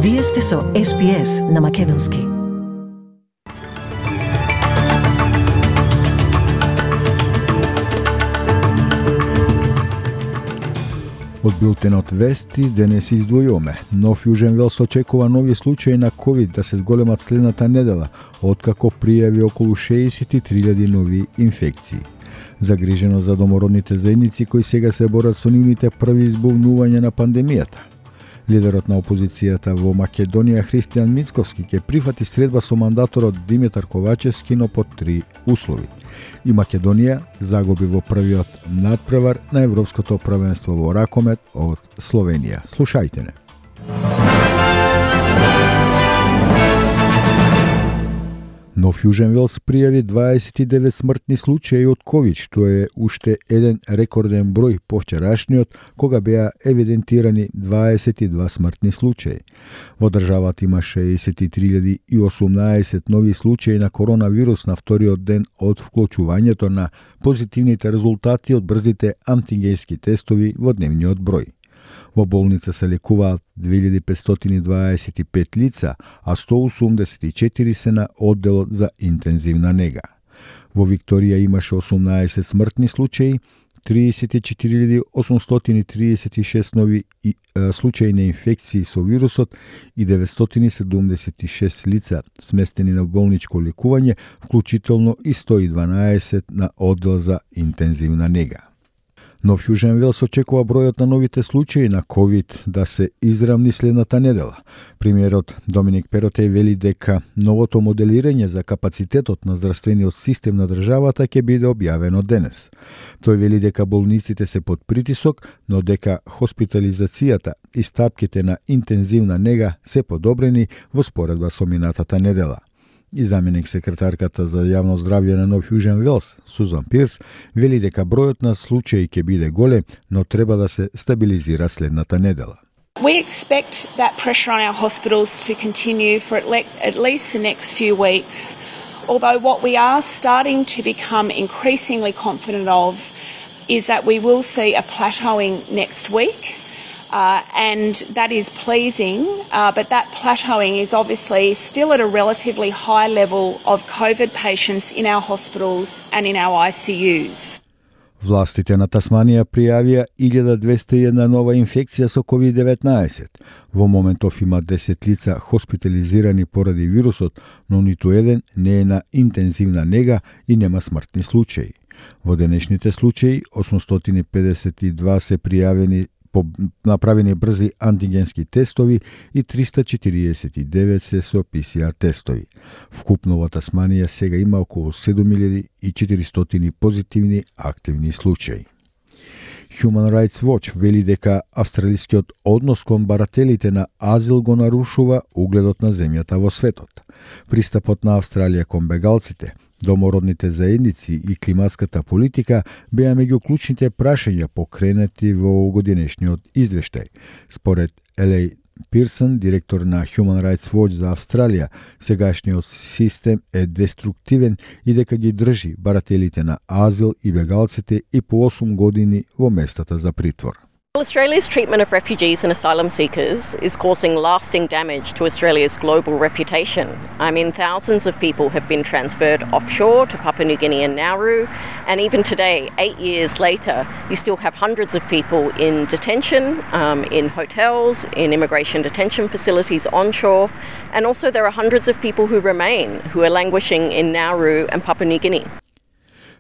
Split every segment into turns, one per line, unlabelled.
Вие сте со SPS на Македонски.
Од билтенот вести денес издвојуваме. Нов Јужен Велс очекува нови случаи на COVID да се зголемат следната недела, откако пријави околу 63.000 нови инфекции. Загрижено за домородните заедници кои сега се борат со нивните први избувнувања на пандемијата. Лидерот на опозицијата во Македонија Христијан Мицковски ќе прифати средба со мандаторот Димитар Ковачевски, но под 3 услови. И Македонија загуби во првиот надпревар на Европското првенство во ракомет од Словенија. Слушајте не. Нов Јужен Велс пријави 29 смртни случаи од COVID, што е уште еден рекорден број по вчерашниот, кога беа евидентирани 22 смртни случаи. Во државата има 63.018 нови случаи на коронавирус на вториот ден од вклучувањето на позитивните резултати од брзите антигенски тестови во дневниот број. Во болница се лекуваат 2525 лица, а 184 се на одделот за интензивна нега. Во Викторија имаше 18 смртни случаи, 34.836 нови случаи на инфекции со вирусот и 976 лица сместени на болничко лекување, вклучително и 112 на оддел за интензивна нега. Нов Јужен Велс очекува бројот на новите случаи на COVID да се израмни следната недела. Премиерот Доминик Перотеј вели дека новото моделирање за капацитетот на здравствениот систем на државата ќе биде објавено денес. Тој вели дека болниците се под притисок, но дека хоспитализацијата и стапките на интензивна нега се подобрени во споредба со минатата недела. И заменик секретарката за јавно здравје на Нов Јужен Велс, Сузан Пирс, вели дека бројот на случаи ќе биде голем, но треба да се стабилизира следната недела.
We expect that pressure on our hospitals to continue for at least the next few weeks, although what we are starting to become increasingly confident of is that we will see a plateauing next week. And that is pleasing, but that plateauing is obviously still at a relatively high level of COVID patients in our hospitals and in our ICUs.
Властите на Тасманија пријавија 1201 нова инфекција со COVID-19. Во моментов има 10 лица хоспитализирани поради вирусот, но ниту еден не е на интензивна нега и нема смртни случаи. Во денешните случаи 852 се пријавени направени брзи антигенски тестови и 349 се со PCR тестови. Вкупно во Тасманија сега има околу 7400 позитивни активни случаи. Human Rights Watch вели дека австралискиот однос кон барателите на азил го нарушува угледот на земјата во светот. Пристапот на Австралија кон бегалците, домородните заедници и климатската политика беа меѓу клучните прашања покренати во годинешниот извештај. Според Елеј Пирсон, директор на Human Rights Watch за Австралија, сегашниот систем е деструктивен и дека ги држи барателите на азил и бегалците и по 8 години во местата за притвор.
Australia's treatment of refugees and asylum seekers is causing lasting damage to Australia's global reputation. I mean, thousands of people have been transferred offshore to Papua New Guinea and Nauru, and even today, 8 years later, you still have hundreds of people in detention, in hotels, in immigration detention facilities onshore, and also there are hundreds of people who remain, who are languishing in Nauru and Papua New Guinea.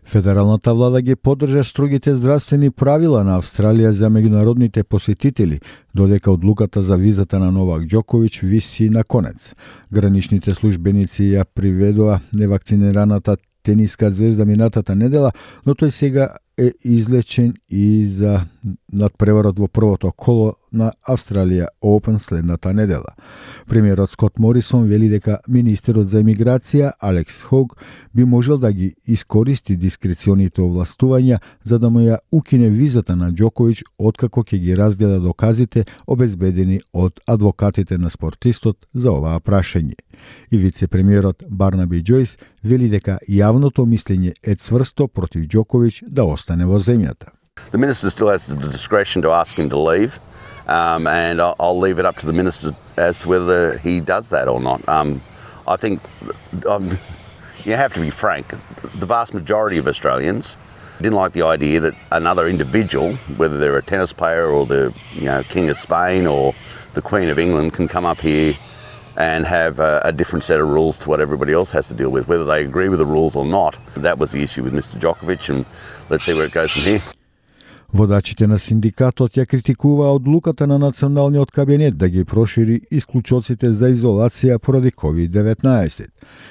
Федералната влада ги поддржа строгите здравствени правила на Австралија за меѓународните посетители, додека одлуката за визата на Новак Џоковиќ виси на конец. Граничните службеници ја приведоа невакцинираната тениска звезда минатата недела, но тој сега е излечен и за надпреварот во првото коло на Австралија Open следната недела. Премиерот Скот Морисон вели дека министерот за емиграција Алекс Хог би можел да ги искористи дискреционите овластувања за да му ја укине визата на Џоковиќ откако ќе ги разгледа доказите обезбедени од адвокатите на спортистот за оваа прашање. И вице-премиерот Барнаби Џојс вели дека јавното мислење е цврсто против Џоковиќ да остане во земјата.
The minister still has the discretion to ask him to leave, and I'll leave it up to the minister as to whether he does that or not. I think you have to be frank. The vast majority of Australians didn't like the idea that another individual, whether they're a tennis player or the King of Spain or the Queen of England, can come up here and have a different set of rules to what everybody else has to deal with, whether they agree with the rules or not. That was the issue with Mr. Djokovic, and let's see where it goes from here.
Водачите на синдикатот ја критикуваа одлуката на националниот кабинет да ги прошири исклучоците за изолација поради COVID-19.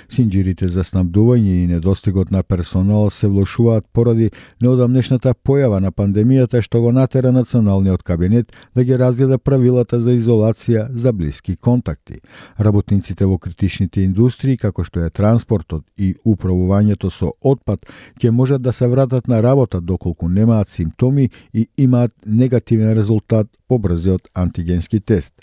Синџирите за снабдување и недостигот на персонал се влошуваат поради неодамнешната појава на пандемијата што го натера националниот кабинет да ги разгледа правилата за изолација за блиски контакти. Работниците во критичните индустрии, како што е транспортот и управувањето со отпад, ќе можат да се вратат на работа доколку немаат симптоми и имаат негативен резултат по брзиот антигенски тест.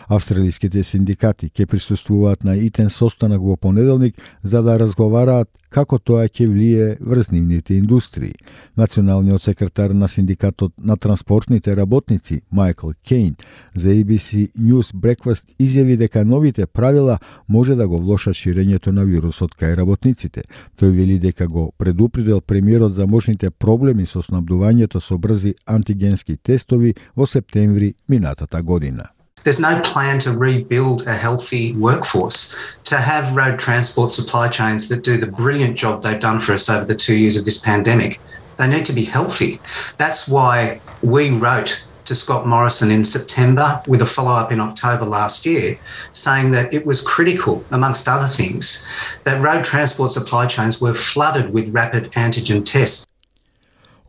Австралиските синдикати ќе присуствуваат на итен состанок во понеделник за да разговараат како тоа ќе влие врз нивните индустрии. Националниот секретар на синдикатот на транспортните работници Майкл Кейн за ABC News Breakfast изјави дека новите правила може да го влошат ширењето на вирусот кај работниците. Тој вели дека го предупредил премиерот за можните проблеми со снабдувањето со брзи антигенски тестови во септември минатата година.
There's no plan to rebuild a healthy workforce, to have road transport supply chains that do the brilliant job they've done for us over the 2 years of this pandemic. They need to be healthy. That's why we wrote to Scott Morrison in September with a follow-up in October last year, saying that it was critical, amongst other things, that road transport supply chains were flooded with rapid antigen tests.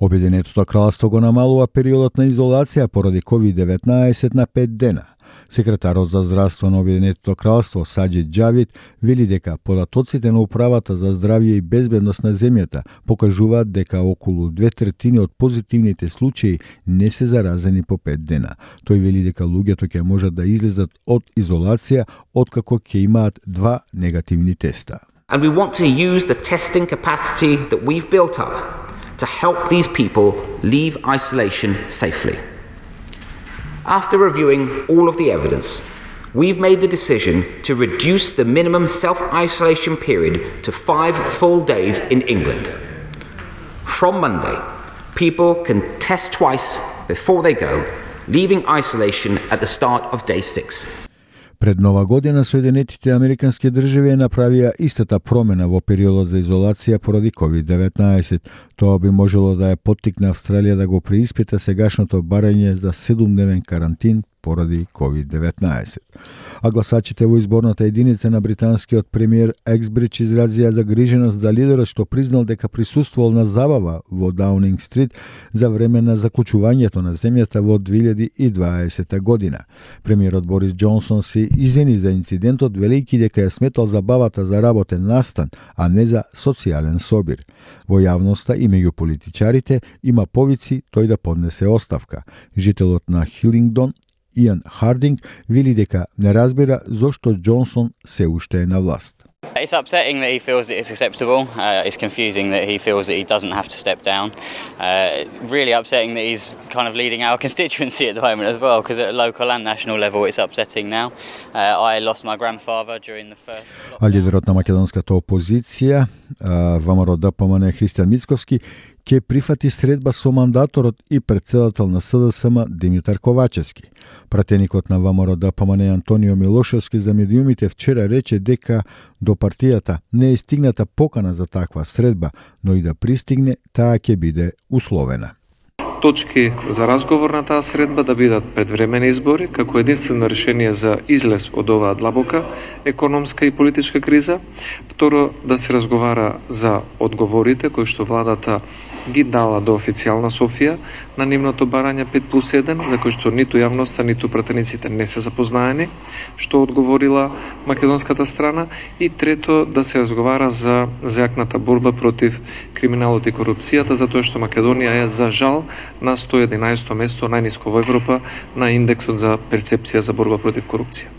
Обединетото кралство го намалува периодот на изолација поради COVID-19 на 5 дена. Секретарот за здравство на Обединетото кралство Саџид Џавид вели дека податоците на управата за здравје и безбедност на земјата покажуваат дека околу 2/3 од позитивните случаи не се заразени по 5 дена. Тој вели дека луѓето ќе можат да излезат од изолација откако ќе имаат 2 негативни теста.
And we want to use the testing capacity that we've built up to help these people leave isolation safely. After reviewing all of the evidence, we've made the decision to reduce the minimum self-isolation period to 5 full days in England. From Monday, people can test twice before they go, leaving isolation at the start of day 6.
Пред Нова година Соединетите Американски држави направија истата промена во периодот за изолација поради COVID-19. Тоа би можело да ја поттикне Австралија да го преиспита сегашното барање за 7-дневен карантин поради COVID-19. А гласачите во изборната единица на британскиот премиер Ексбридж изразија загриженост за лидерот што признал дека присуствувал на забава во Даунинг Стрит за време на заклучувањето на земјата во 2020 година. Премиерот Борис Џонсон се извини за инцидентот, велејќи дека ја сметал забавата за работен настан, а не за социјален собир. Во јавноста и меѓу политичарите има повици тој да поднесе оставка. Жителот на Хилингдон Иан Хардинг вели дека не разбира зошто Џонсон се уште е на власт.
It's upsetting that he feels that it's acceptable. It's confusing that he feels that he doesn't have to step down. Really upsetting that he's kind of leading our constituency at the moment as well, because at a local and national level it's upsetting now. I lost my grandfather during the first lockdown.
А лидерот на македонската опозиција, ВМРО-ДПМН Христијан Мицковски, ќе прифати средба со мандаторот и претседател на СДСМ Димитар Ковачевски. Пратеникот на ВМРО-ДПМН Антонио Милошевски за медиумите вчера рече дека до партијата не е стигната покана за таква средба, но и да пристигне, таа ќе биде условена.
Точки за разговор на таа средба да бидат предвремени избори како единствено решение за излез од оваа длабока економска и политичка криза. Второ, да се разговара за одговорите кои што владата ги дала до официјална Софија на нивното барање 5+1, за кои што ниту јавноста, ниту пратениците не се запознаени, што одговорила македонската страна. И трето, да се разговара за зајакната борба против криминалот и корупцијата, затоа што Македонија е за жал на 111 место, најниско во Европа, на индексот за перцепција за борба против корупција.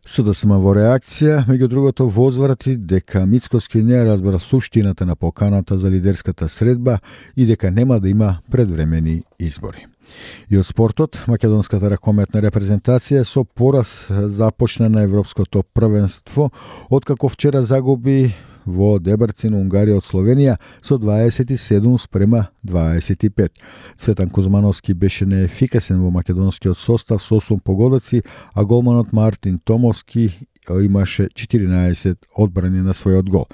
СДСМ во реакција, меѓу другото, возврати дека Мицкоски не разбра суштината на поканата за лидерската средба и дека нема да има предвремени избори. И од спортот, македонската ракометна репрезентација со пораз започна на Европското првенство, откако вчера загуби во Дебрцин, Унгарија од Словенија со 27-25. Цветан Кузмановски беше неефикасен во македонскиот состав со 8 погодоци, а голманот Мартин Томовски имаше 14 одбрани на својот гол.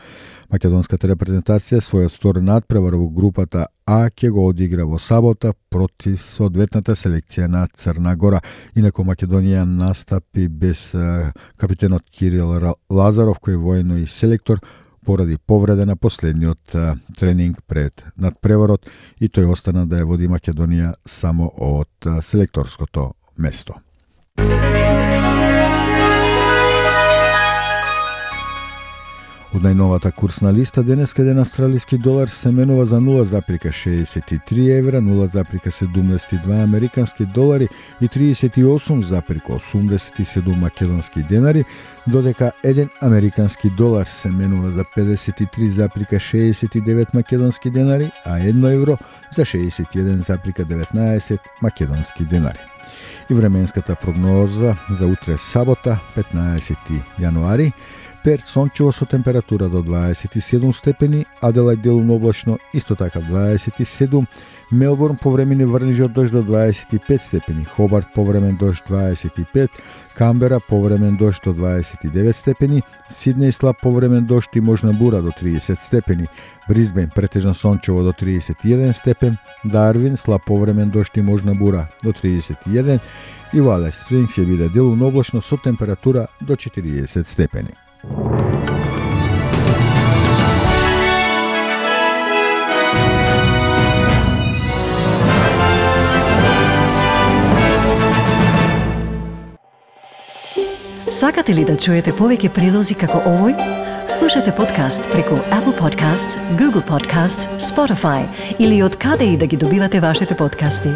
Македонската репрезентација својот втори надпревар во групата А ќе го одигра во сабота против соодветната селекција на Црна Гора. Инаку Македонија настапи без капитенот Кирил Лазаров, кој е воено и селектор, поради повреда на последниот тренинг пред надпреварот, и тој остана да ја води Македонија само од селекторското место. Од најновата курсна листа денес еден австралиски долар се менува за 0,63 евра, 0,72 американски долари и 38,87 македонски денари, додека еден американски долар се менува за 53,69 македонски денари, а 1 евро за 61,19 македонски денари. И временската прогноза за утре сабота, 15 јануари, Перт сончево со температура до 27 степени, Аделајд делумно облачно исто така 27, Мелбурн повремени врнежи од дожд до 25 степени, Хобарт повремен дожд 25, Камбера повремен дожд до 29 степени, Сиднеј слаб повремен дожд и можна бура до 30 степени, Брисбен претежно сончево до 31 степен, Дарвин слаб повремен дожд и можна бура до 31 и Алис Спрингс ќе биде делумно облачно со температура до 40 степени.
Сакате ли да чуете повеќе прилози како овој? Слушате подкаст преку Apple Podcasts, Google Podcasts, Spotify или од каде и да ги добивате вашите подкасти.